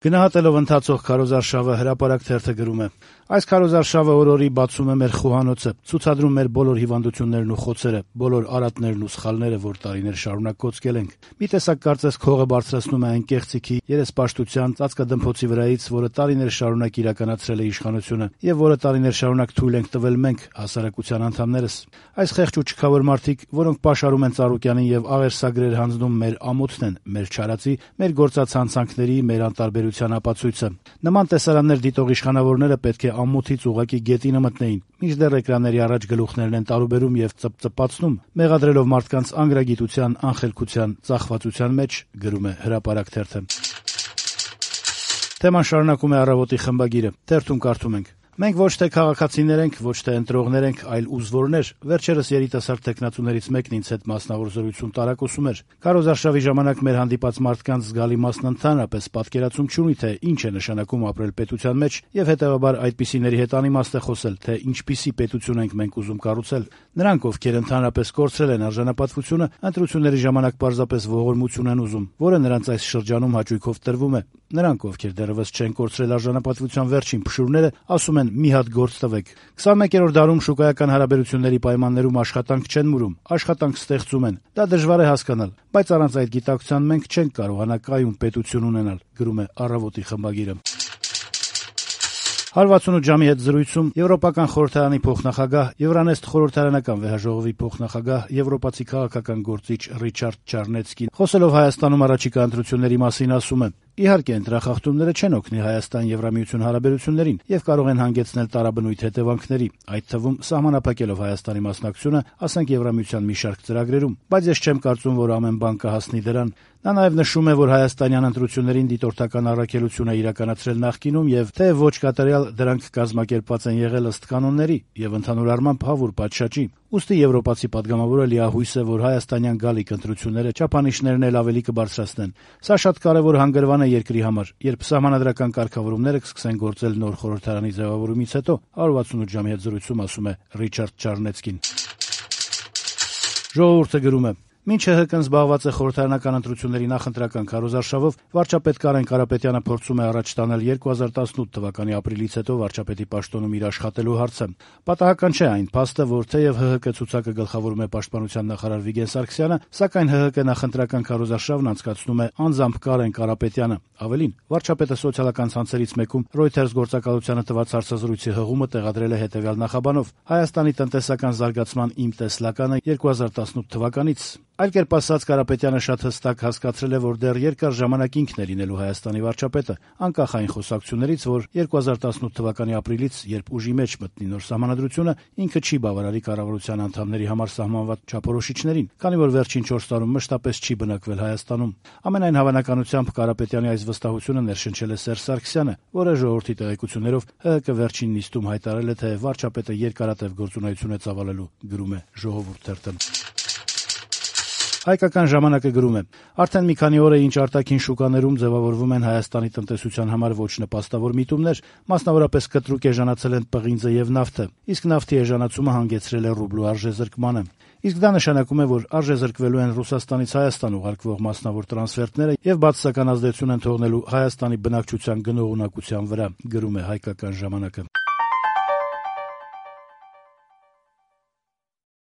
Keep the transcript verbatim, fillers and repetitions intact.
Գնահատելով ընթացող քարոզարշավը հրապարակ թերթը գրում է. «Այս քարոզարշավը օր-օրի բացում է մեր խոհանոցը, ցուցադրում մեր բոլոր հիվանդություններն ու խոցերը, բոլոր արատներն ու սխալները, որ տարիներ շարունակ կոծկել ենք։ Մի տեսակ կարծես քողը բարձրացնում է այն կեղծիքի, երեսպաշտության, ծածկադմփոցի վրայից, որը տարիներ շարունակ իրականացրել է իշխանությունը եւ որը տարիներ շարունակ թույլ ենք տվել մենք, հասարակության անդամներս։ Այս խեղճ ու չքավոր մարդիկ, որոնք պաշարում են Ծառուկյանին եւ աղերսագրեր հանձնում մեր ամոթն են, մեր չարացի, մեր գործած հանցանքների, մեր անտարբերության ապացույցը։ Նման տեսարաններ դիտող իշխանավորները պետք է ամոթից ուղղակի գետինը մտնեին, մինչդեռ էկրանների առաջ գլուխներն են տարուբերում եւ ծպծպացնում, մեղադրելով մարդկանց անգրագիտության, անխելքության, ծախվածության մեջ», գրում է հրապարակ թերթը։ Թեման շարունակում է «Առավոտ»-ի խմբագիրը. թերթում կարդում ենք. «Մենք ոչ թե քաղաքացիներ ենք, ոչ թե ընտրողներ ենք, այլ ուզվորներ։ Վերջերս երիտասարդ տեխնացուներից մեկն ինձ հետ մասնավոր զրույցում տարակոսում էր. քարոզարշավի ժամանակ մեր հանդիպած մարդկանց զգալի մասն ընդհանրապես պատկերացում չունի, թե ինչ է նշանակում ապրել պետության մեջ եւ հետեւաբար այդպիսիների հետ անիմաստ է խոսել, թե ինչպիսի պետություն ենք մենք ուզում կառուցել։ Նրանք, ովքեր ընդհանրապես կորցրել են արժանապատվությունը, ընտրությունների ժամանակ պարզապես ողորմություն են ուզում, որը նրանց այս շրջանում հաճույքով տրվում է։ Նրանք, ովքեր դեռևս չեն կորցրել արժանապատվության վերջին փշուրները, ասում են՝ մի հատ գործ տվեք։ քսանմեկերորդ դարում շուկայական հարաբերությունների պայմաններում աշխատանք չեն մուրում, աշխատանք ստեղծում են։ Դա դժվար է հասկանալ, բայց առանց այդ գիտակցության մենք չենք կարողանա կայուն պետություն ունենալ», գրում է «Առավոտ»-ի խմբագիրը։ հարվածունութ ժամի հետ զրույցում Եվրոպական խորհրդարանի փոխնախագահ, Եվրանեստ խորհրդարանական վեհաժողովի փոխնախագահ, եվրոպացի քաղաքական գործիչ Ռիչարդ Չարնեցկին, խոսելով Հայաստանում առաջիկա ընտրությունների մասին, ասում է. «Իհարկե, ընտրախախտումները չեն օգնի Հայաստան-Եվրամիություն հարաբերություններին եւ կարող են հանգեցնել տարաբնույթ հետևանքների, այդ թվում սահմանափակելով Հայաստանի մասնակցությունը, ասենք Եվրամիության մի շարք ծրագրերում, բայց ես չեմ կարծում, որ ամեն բան կհասնի դրան»։ Նա նաեւ նշում է, որ հայաստանյան ընտրություններին դիտորդական առաքելություն է իրականացրել նախկինում եւ թեեւ ոչ կատարյալ դրանք կազմակերպված են եղել ըստ կանոնների եւ ընդհանուր առմամբ հավուր պատշաճի։ Ուստի եվրոպացի падգամավորը լիահույս է, որ հայաստանյան գալիք ընտրությունները չափանիշներն էլ ավելի կբարձրացնեն։ Սա շատ կարեւոր հանգրվան է երկրի համար, երբ սահմանադրական կարգավորումները կսկսեն գործել նոր խորհրդարանի ձևավորումից հետո, հարյուր ութսունութ ժամի հետ զրույցում ասում է Ռիչարդ Չարնեցկին։ Ժողովուրդը գրում է. «Մինչ ՀՀԿ-ն զբաղված է խորհրդարանական ընտրությունների նախընտրական քարոզարշավով, վարչապետ Կարեն Կարապետյանը փորձում է առաջ տանել երկու հազար տասնութ թվականի ապրիլից հետո վարչապետի պաշտոնում իր աշխատելու հարցը։ Պատահական չէ այն փաստը, որ թեև ՀՀԿ ցուցակը գլխավորում է պաշտպանության նախարար Վիգեն Սարգսյանը, սակայն ՀՀԿ նախընտրական քարոզարշավն անցկացնում է անձամբ Կարեն Կարապետյանը։ Ավելին, վարչապետը սոցիալական ցանցերից մեկում Reuters գործակալությանը տված հարցազրույցի հղումը տեղադրել է հետևյալ նախաբանով. «Հայաստանի տնտեսական զարգացման իմ տեսլականը երկու հազար տասնութ թվականից»։ Այլ կերպ ասած, Կարապետյանը շատ հստակ հասկացրել է, որ դեռ երկար ժամանակ ինքն է լինելու Հայաստանի վարչապետը, անկախ այն խոսակցություններից, որ երկու հազար տասնութ թվականի ապրիլից, երբ ուժի մեջ մտնի նոր սահմանադրությունը, ինքը չի բավարարի կառավարության անդամների համար սահմանված չափորոշիչներին, քանի որ վերջին չորս տարում մշտապես չի բնակվել Հայաստանում։ Ամենայն հավանականությամբ Կարապետյանի այս վստահությունը ներշնչել է Սերժ Սարգսյանը, որը ժողովրդի տեղեկություններով ՀՀԿ վերջին նիստում հայտարարել է, թե վարչապետը երկարատև գործունեություն է ծավալելու, գրում է Ժողովուրդ թերթը։ Հայկական ժամանակը գրում է. «Արդեն մի քանի օր է, ինչ արտաքին շուկաներում ձևավորվում են Հայաստանի տնտեսության համար ոչ նպաստավոր միտումներ, մասնավորապես կտրուկ էժանացել են պղինձը եւ նավթը, իսկ նավթի էժանացումը հանգեցրել է ռուբլու արժեզրկմանը։ Իսկ դա նշանակում է, որ արժեզրկվելու են Ռուսաստանից Հայաստան ուղարկվող մասնավոր տրանսֆերտները եւ բացասական ազդեցություն են թողնելու Հայաստանի բնակչության գնողունակության վրա», գրում է Հայկական ժամանակը։